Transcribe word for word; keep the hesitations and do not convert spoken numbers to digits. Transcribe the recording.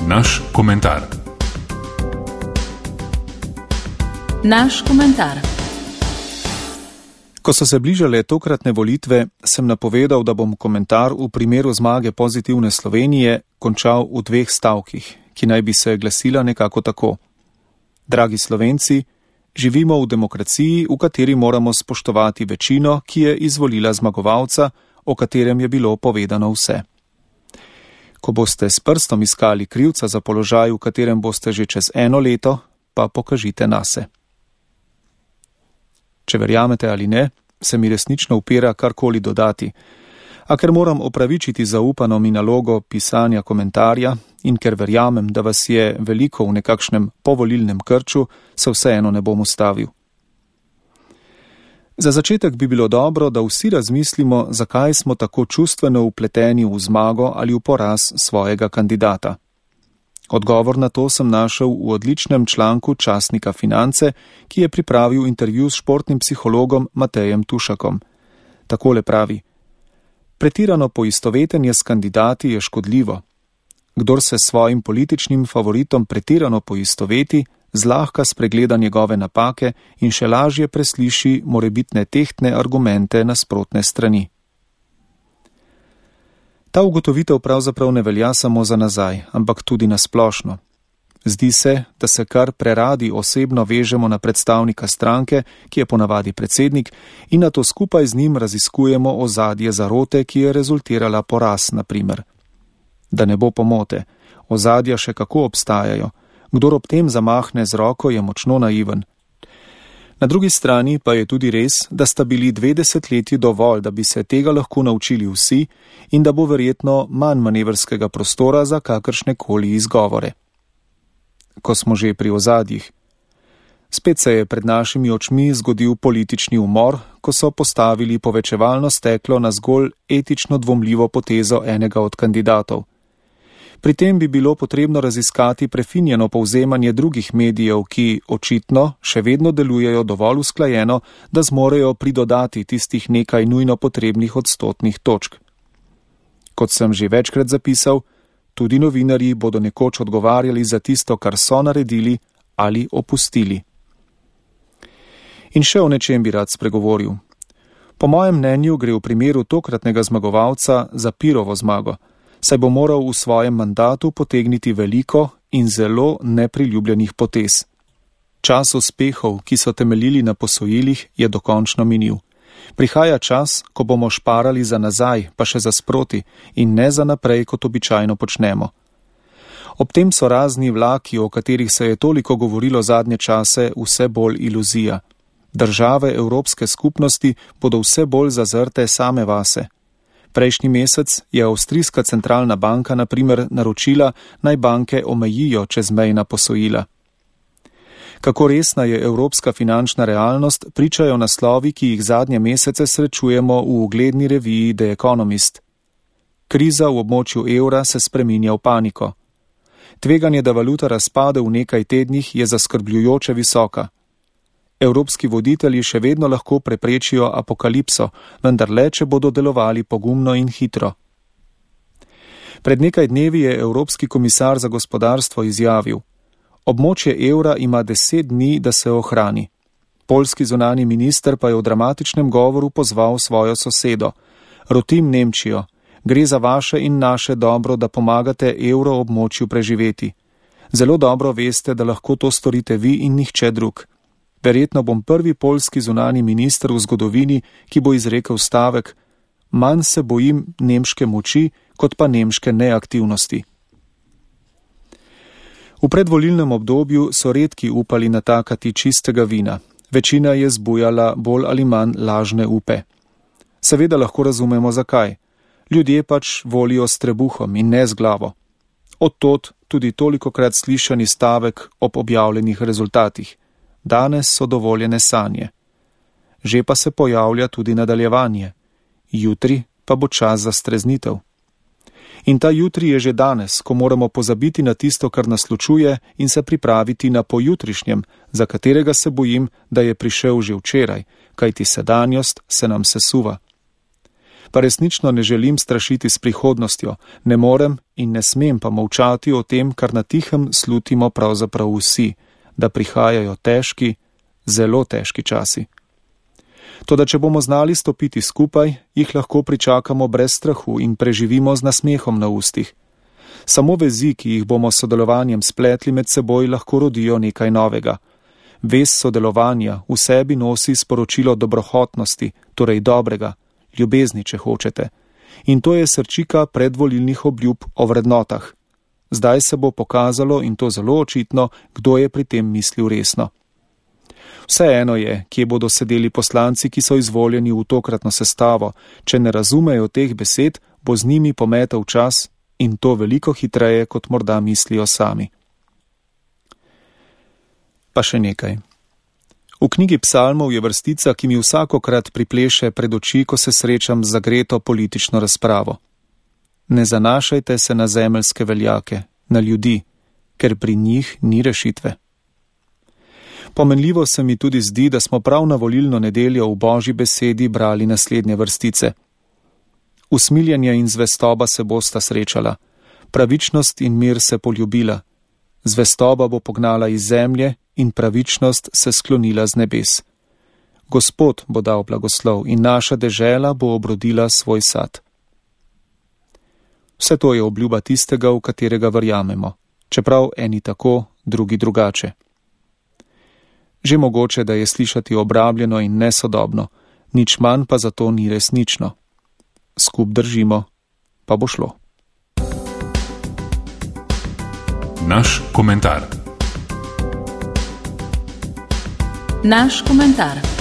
Naš komentar. Naš komentar. Ko so se bližale tokratne volitve, sem napovedal, da bom komentar v primeru zmage Pozitivne Slovenije končal v dveh stavkih, ki naj bi se glasila nekako tako. Dragi Slovenci, živimo v demokraciji, v kateri moramo spoštovati večino, ki je izvolila zmagovalca, o katerem je bilo povedano vse. Ko boste s prstom iskali krivca za položaj, v katerem boste že čez eno leto, pa pokažite nase. Če verjamete ali ne, se mi resnično upira karkoli dodati, a ker moram opravičiti zaupano mi nalogo pisanja komentarja in ker verjamem, da vas je veliko v nekakšnem povolilnem krču, se vseeno ne bom ustavil. Za začetek bi bilo dobro, da vsi razmislimo, zakaj smo tako čustveno vpleteni v zmago ali v poraz svojega kandidata. Odgovor na to sem našel v odličnem članku časnika Finance, ki je pripravil intervju s športnim psihologom Matejem Tušakom. Takole pravi: pretirano poistovetenje s kandidati je škodljivo. Kdor se s svojim političnim favoritom pretirano poistoveti, zlahka spregleda njegove napake in še lažje presliši morebitne tehtne argumente nasprotne strani. Ta ugotovitev pravzaprav ne velja samo za nazaj, ampak tudi na splošno. Zdi se, da se kar preradi osebno vežemo na predstavnika stranke, ki je ponavadi predsednik, in na to skupaj z njim raziskujemo ozadje zarote, ki je rezultirala poraz, na primer. Da ne bo pomote, ozadja še kako obstajajo. Kdor ob tem zamahne z roko, je močno naiven. Na drugi strani pa je tudi res, da sta bili dve desetletji dovolj, da bi se tega lahko naučili vsi in da bo verjetno manj manevrskega prostora za kakršne koli izgovore. Ko smo že pri ozadjih. Spet se je pred našimi očmi zgodil politični umor, ko so postavili povečevalno steklo na zgolj etično dvomljivo potezo enega od kandidatov. Pri tem bi bilo potrebno raziskati prefinjeno povzemanje drugih medijev, ki očitno še vedno delujejo dovolj usklajeno, da zmorejo pridodati tistih nekaj nujno potrebnih odstotnih točk. Kot sem že večkrat zapisal, tudi novinarji bodo nekoč odgovarjali za tisto, kar so naredili ali opustili. In še o nečem bi rad spregovoril. Po mojem mnenju gre v primeru tokratnega zmagovalca za Pirovo zmago, saj bo moral v svojem mandatu potegniti veliko in zelo nepriljubljenih potez. Čas uspehov, ki so temeljili na posojilih, je dokončno minil. Prihaja čas, ko bomo šparali za nazaj, pa še za sproti in ne za naprej, kot običajno počnemo. Ob tem so razni vlaki, o katerih se je toliko govorilo zadnje čase, vse bolj iluzija. Države Evropske skupnosti bodo vse bolj zazrte same vase. Prejšnji mesec je Avstrijska centralna banka na primer naročila, naj banke omejijo čezmejna posojila. Kako resna je evropska finančna realnost, pričajo naslovi, ki jih zadnje mesece srečujemo v ugledni reviji The Economist. Kriza v območju evra se spreminja v paniko. Tveganje, da valuta razpade v nekaj tednih, je zaskrbljujoče visoka. Evropski voditelji še vedno lahko preprečijo apokalipso, vendar le, če bodo delovali pogumno in hitro. Pred nekaj dnevi je Evropski komisar za gospodarstvo izjavil: območje evra ima deset dni, da se ohrani. Poljski zunanji minister pa je v dramatičnem govoru pozval svojo sosedo: rotim Nemčijo, gre za vaše in naše dobro, da pomagate evro območju preživeti. Zelo dobro veste, da lahko to storite vi in nihče drug. Verjetno bom prvi poljski zunanji minister v zgodovini, ki bo izrekel stavek: manj se bojim nemške moči, kot pa nemške neaktivnosti. V predvolilnem obdobju so redki upali natakati čistega vina. Večina je zbujala bolj ali manj lažne upe. Seveda lahko razumemo zakaj. Ljudje pač volijo s trebuhom in ne z glavo. Od tod tudi tolikokrat slišani stavek ob objavljenih rezultatih. Danes so dovoljene sanje. Že pa se pojavlja tudi nadaljevanje. Jutri pa bo čas za streznitev. In ta jutri je že danes, ko moramo pozabiti na tisto, kar nas ločuje, in se pripraviti na pojutrišnjem, za katerega se bojim, da je prišel že včeraj, kajti sedanjost se nam sesuva. Pa resnično ne želim strašiti s prihodnostjo, ne morem in ne smem pa molčati o tem, kar na tihem slutimo pravzaprav vsi, da prihajajo težki, zelo težki časi. Toda če bomo znali stopiti skupaj, jih lahko pričakamo brez strahu in preživimo z nasmehom na ustih. Samo vezi, ki jih bomo s sodelovanjem spletli med seboj, lahko rodijo nekaj novega. Vez sodelovanja v sebi nosi sporočilo dobrohotnosti, torej dobrega, ljubezni, če hočete. In to je srčika predvolilnih obljub o vrednotah. Zdaj se bo pokazalo, in to zelo očitno, kdo je pri tem mislil resno. Vseeno je, kje bodo sedeli poslanci, ki so izvoljeni v tokratno sestavo. Če ne razumejo teh besed, bo z njimi pometel čas in to veliko hitreje, kot morda mislijo sami. Pa še nekaj. V knjigi psalmov je vrstica, ki mi vsakokrat pripleše pred oči, ko se srečam z zagreto politično razpravo. Ne zanašajte se na zemeljske veljake, na ljudi, ker pri njih ni rešitve. Pomenljivo se mi tudi zdi, da smo prav na volilno nedeljo v Božji besedi brali naslednje vrstice. Usmiljenje in zvestoba se bosta srečala, pravičnost in mir se poljubila, zvestoba bo pognala iz zemlje in pravičnost se sklonila z nebes. Gospod bo dal blagoslov in naša dežela bo obrodila svoj sad. Vse to je obljuba tistega, v katerega verjamemo, čeprav eni tako, drugi drugače. Že mogoče, da je slišati obrabljeno in nesodobno, nič manj pa zato ni resnično. Skup držimo, pa bo šlo. Naš komentar. Naš komentar.